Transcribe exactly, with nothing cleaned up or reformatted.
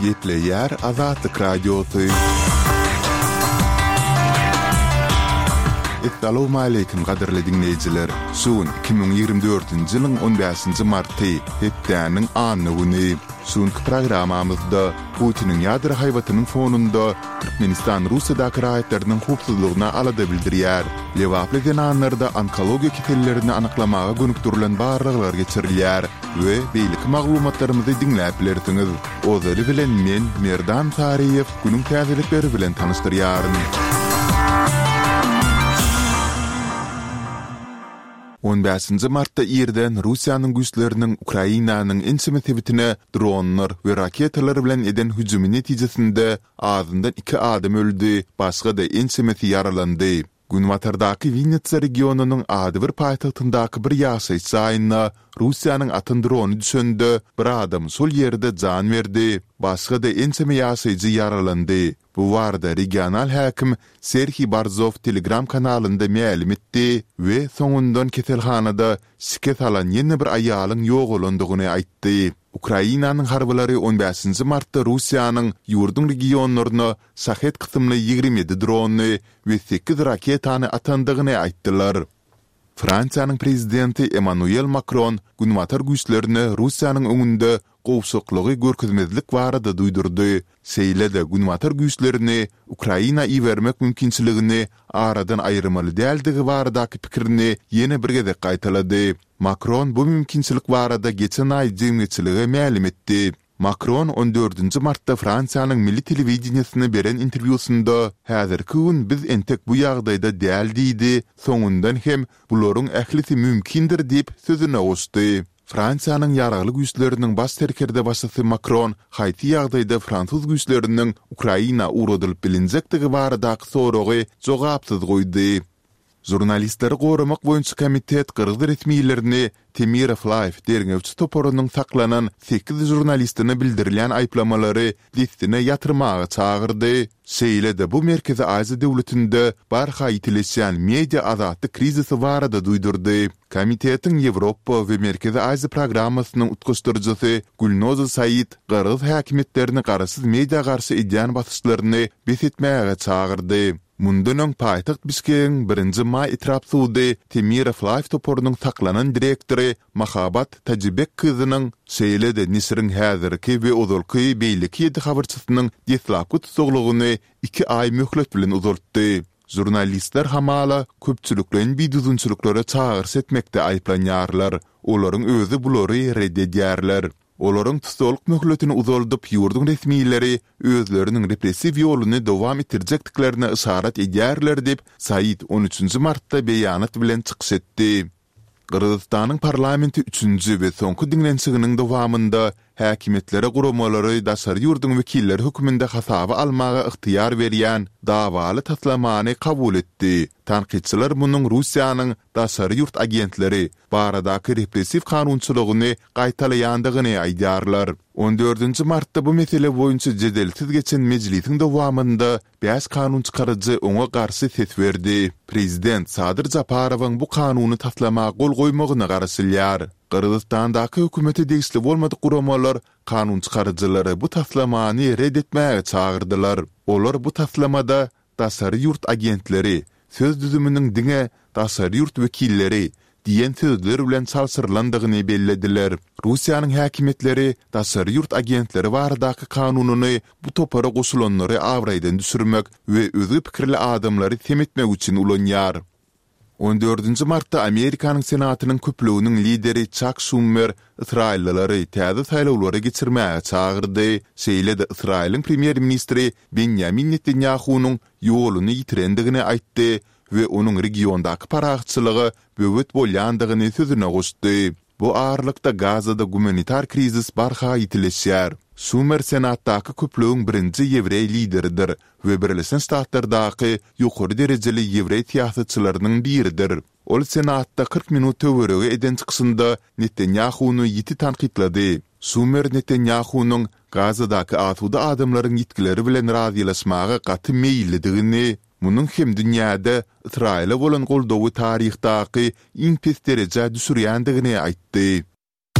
Gepleýär Azatlyk Radiosy. Essalawmaleýkim gadyrly diňleýjiler! Şu gün iki müň ýigrimi dördünji ýylyň on bäşinji marty, hepdäniň anna güni. Şu günki programmamyzda Putiniň ýadro haýbatynyň fonunda Türkmenistan Russiýadaky raýatlarynyň howpsuzlygyna alada bildirýär. Lebaply zenanlarda onkologiýa kesellerini anyklamaga gönükdirilen barlaglar geçirilýär we beýleki maglumatlarymyzy diňläp bilersiňiz. Ozaly bilen men, Merdan Saryýew, günüň täzelikleri bilen tanyşdyrýaryn. On bäşinji martda irden Russiýanyň güýçleriniň Ukrainanyň ençeme sebitine dronlar we raketalar bilen eden hüjümi netijesinde azyndan iki adam öldi, başga-da ençemesi ýaralandy. Günbatardaky Winnitsa regionynyň adybir paýtagtyndaky bir ýaşaýyş jaýyna Russiýanyň atan drony düşende, bir adam şol ýerde jan berdi, başga-da ençeme ýaşaýjy ýaralandy. Bu barada regional häkim Serhiý Barzow Telegram kanalynda mälim etdi we soňundan keselhanada şikes alan ýene bir aýalyň ýogalandygyny aýtdy. Ukrainanyň harbylary on bäşinji martda Russiýanyň ýurduň regionlaryna Şahed kysymly ýigrimi ýedi drony we sekiz raketany atandygyny aýtdylar. Fransiýanyň prezidenti Emmanuel Makron Günbatar güýçlerine Russiýanyň öňünde gowşaklygy görkezmezlik barada duýdurdy, şeýle-de Günbatar güýçlerini Ukraina ibermek mümkinçiligini aradan aýyrmaly däldigi baradaky pikirini ýene bir gezek gaýtalady. Makron bu mümkinçilik barada geçen aý jemgyýetçilige mälim etdi. Makron on dördünji martda Fransiýanyň milli telewideniýesine beren interwýusynda, Häzirki gün biz entek bu ýagdaýda däl diýdi, soňundan hem Bularyň ählisi mümkindir diýip, sözüne goşdy. Fransiýanyň Ýaragly Güýçleriniň baş serkerdebaşysy Makron haýsy ýagdaýda fransuz güýçleriniň Ukraina ugradylyp bilinjekdigi baradaky soragy jogapsyz goýdy. Žurnalistleri goramak boýunça komitet gyrgyz resmilerini Temirow Live derňewçi toparynyň saklanan sekiz žurnalistine bildirilýän aýyplamalary dessine ýatyrmaga çagyrdy. Şeýle-de bu Merkezi Aziýa döwletinde barha ýitileşýän media azatlyk krizisi barada duýdurdy. Komitetiň Ýewropa we Merkezi Aziýa programmasynyň utgaşdyryjysy Gülnoza Said gyrgyz häkimiýetlerini garaşsyz media garşy edýän basyşlaryny bes etmäge çagyrdy. Mundan öň paýtagt Bişkegiň Birinji maý etrap sudy Temirow Live toparynyň saklanan direktory Mahabat Tajibek kyzynyň, şeýle-de neşiriň häzirki we ozalky beýleki ýedi habarçysynyň deslapky tussaglygyny iki aý möhlet bilen uzaltdy. Žurnalistler hamala köpçülikleýin bidüzgünçiliklere çagyryş etmekde aýyplanýarlar. Olaryň özi bulary ret edýärler. Olaryň tussaglyk möhletini uzaldyp, ýurduň resmileri özleriniň repressiw ýoluny dowam etdirjekdiklerine yşarat edýärler diýip, Said on üçünji martda beýanat bilen çykyş etdi. Gyrgyzystanyň parlamenti üçünji we soňky diňlenişiginiň dowamynda häkimiýetlere guramalary daşary ýurduň wekilleri hökmünde hasaba almaga ygtyýar berýän dawaly taslamany kabul etdi. Tankytçylar munuň Russiýanyň daşary ýurt agentleri baradaky repressiw kanunçylygyny gaýtalaýandygyny aýdýarlar. On dördünji martda bu mesele boýunça jedelsiz geçen mejlisiň dowamynda bäş kanunçykaryjy oňa garşy ses berdi. Prezident Sadyr Japarowyň bu kanuny taslama gol goýmagyna garaşylýar. Gyrgyzystandaky hökümete degişli bolmadyk guramalar kanunçykaryjylary bu taslamany ret etmäge çagyrdylar. Olar bu taslamada Daşary ýurt agentleri söz düzüminiň diňe daşary ýurt wekilleri diýen sözler bilen çalşyrylandygyny bellediler. Russiýanyň häkimiýetleri daşary ýurt agentleri baradaky kanunyny bu topara goşulanlary abraýdan düşürmek we özge pikirli adamlary sem etmek üçin ulanýar. On dördünji martda Amerikanyň Senatynyň köplüginiň lideri Çak Şummer ysraýyllylary täze saýlawlary geçirmäge çagyrdy, şeýle-de Ysraýylyň premýer-ministri Benýamin Netanýahunyň ýoluny ýitirendigini aýtdy we onuň regiondaky parahatçylyga böwet bolýandygyny sözüne goşdy. Bu aralykda Gazada gumanitar krizis barha ýitileşýär. Şumer Senatdaky köplügiň birinji ýewreý lideridir we Birleşen Ştatlardaky ýokary derejeli ýewreý syýasatçylarynyň biridir. Ol Senatda kyrk minut töweregi eden çykyşynda Netanýahuny ýiti tankytlady. Şumer Netanýahunyň Gazadaky asuda adamlaryň ýitgileri bilen razylaşmaga gaty meýillidigini, munuň hem dünýäde Ysraýyla bolan goldawy taryhdaky iň pes derejä düşürýändigini aýtdy.